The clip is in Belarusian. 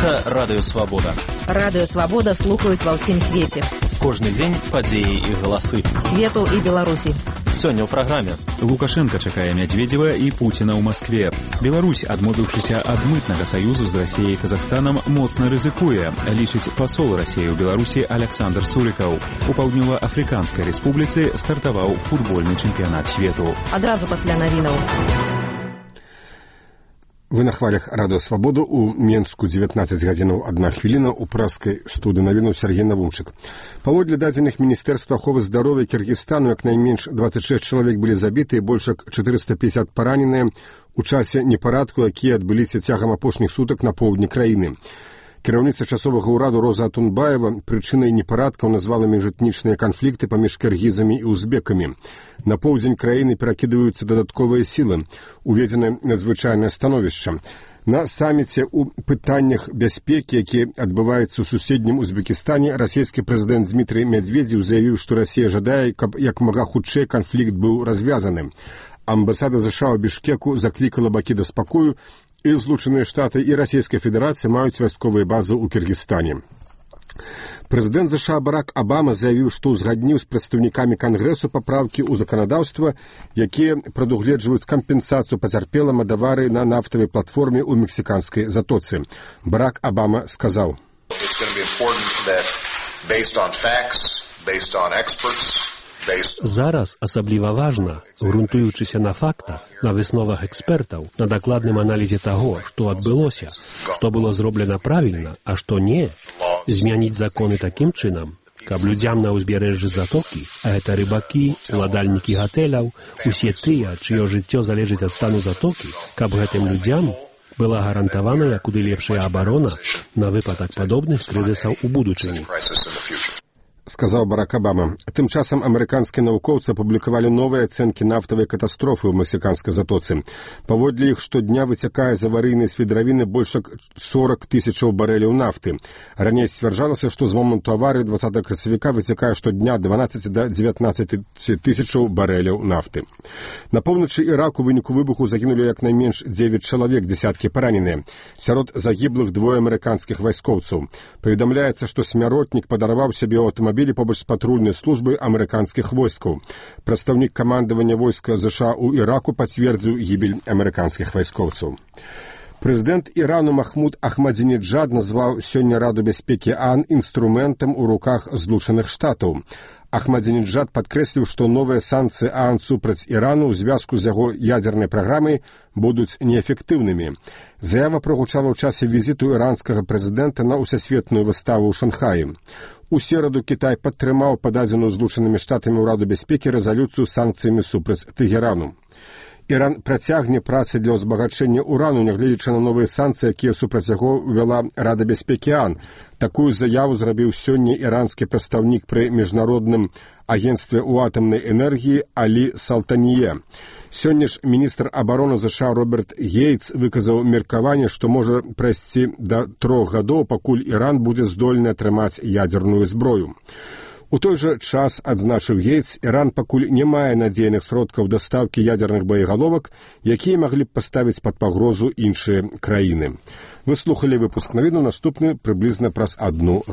Гэта Радыё Свабода. Радыё Свабода слухаюць ва ўсім свеце. Кожны дзень падзеі і галасы. Свету і Беларусі. Сёння ў праграме. Лукашенко чакае Медведзева і Пуціна ў Маскве. Беларусь, адмовіўшыся ад мытнага саюзу з Расіяй і Казахстанам, моцна рызыкуе, лічыць пасол Расіі ў Беларусі Александр Сурыкаў. У Паўднёва-Афрыканскай рэспубліцы стартаваў футбольны чэмпіянат свету. Адразу пасля навінаў. Вы на хвалях Радыё Свабоду. У Менску 19 гадзінаў 1 хвіліна, у праскай студыі навінаў Сергей Навумчык. Паводле дадзеных Міністэрства аховы здароўя Кіргізстану, як найменш 26 чалавек былі забіты і больш як 450 параненыя у часе непарадку, якія адбыліся цягам апошніх сутак на поўдні краіны. Кіраўніца часовага ўраду Роза Атунбаева прычынай непарадкаў назвала міжэтнічныя канфлікты паміж кіргізамі і узбекамі. На поўдзень краіны перакідваюцца дадатковыя сілы, уведзена надзвычайнае становішча. На саміце ў пытаннях бяспекі, які адбываецца ў суседнім Узбекістане, расійскі прэзідэнт Дмітрий Медведзеў заявіў, што Расія жадае, каб як мага хутчэй канфлікт быў развязаны. Амбасада США ў Бішкеку заклікала бакі да спакою, і Злучаныя Штаты і Расійская Федэрацыя маюць вайсковыя базы ў Кіргізстане. Прэзідэнт США Барак Абама заявіў, што ўзгадніў з прадстаўнікамі Кангрэсу папраўкі ў заканадаўства, якія прадугледжваюць кампенсацыю пацярпелым ад аварыі на нафтавай платформе ў мексіканскай затоцы. Барак Абама сказаў: Зараз асабліва важна, грунтуючыся на фактах, на высновах экспертаў, на дакладным аналізе таго, што адбылося, што было зроблена правільна, а што не, змяніць законы такім чынам, каб людзям на ўзбярэжжы затокі, а гэта рыбакі, уладальнікі гатэляў, усе тыя, чыё жыццё залежыць ад стану затокі, каб гэтым людзям была гарантаваная куды лепшая абарона на выпадак падобных крызісаў у будучыні. Сказаў Барак Абама. Тым часам амерыканскія навукоўцы апублікавалі новыя ацэнкі нафтавай катастрофы ў мексіканскай затоцы. Паводле іх штодня выцякае з аварыйнай свідравіны больш як 40 тысячаў барэляў нафты. Раней сцвярджалася, што з моманту аварыі 20 красавіка выцякае штодня 12 да 19 тысячаў барэляў нафты. На поўначы Іраку ў выніку выбуху загінулі як найменш 9 чалавек, дзесяткі параненыя. Сярод загіблых двое амерыканскіх вайскоўцаў. Паведамляецца, што смяротнік падарваў сябе ў аўтамабілі побач з патрульнай службай амерыканскіх войскаў. Прадстаўнік камандавання войска США ў Іраку пацвердзіў гібель амерыканскіх вайскоўцаў. Прэзідэнт Ірану Махмуд Ахмадзінеджад назваў сёння Раду бяспекі ААН інструментам у руках Злучаных Штатаў. Ахмадзінеджад падкрэсліў, што новыя санкцыі ААН супраць Ірану ў звязку з яго ядзернай праграмай будуць неэфектыўнымі. Заява прагучала ў часе візіту іранскага прэзідэнта на ўсесветную выставу ў Шанхаі. У сераду Кітай падтрымаў пададзеную Злучанымі Штатамі ў Раду бяспекі рэзалюцыю з санкцыямі супраць Тэгерану. Іран працягне працы для ўзбагачэння урану, нягледзячы на новыя санкцыі, якія супраць яго ўвяла Рада бяспекі ААН. Такую заяву зрабіў сёння іранскі прадстаўнік пры міжнародным агенцтве ў атамнай энергіі Алі Салтанье. Сёння ж міністр абароны США Роберт Гейтс выказаў меркаванне, што можа прайсці да 3 гадоў, пакуль Іран будзе здольны атрымаць ядзерную зброю. У той жа час, адзначыў Гейтс, Іран пакуль не мае надзейных сродкаў дастаўкі ядзерных боегаловак, якія маглі б паставіць пад пагрозу іншыя краіны. Вы слухалі выпуск навінаў, наступны прыблізна праз 1 гадзіну.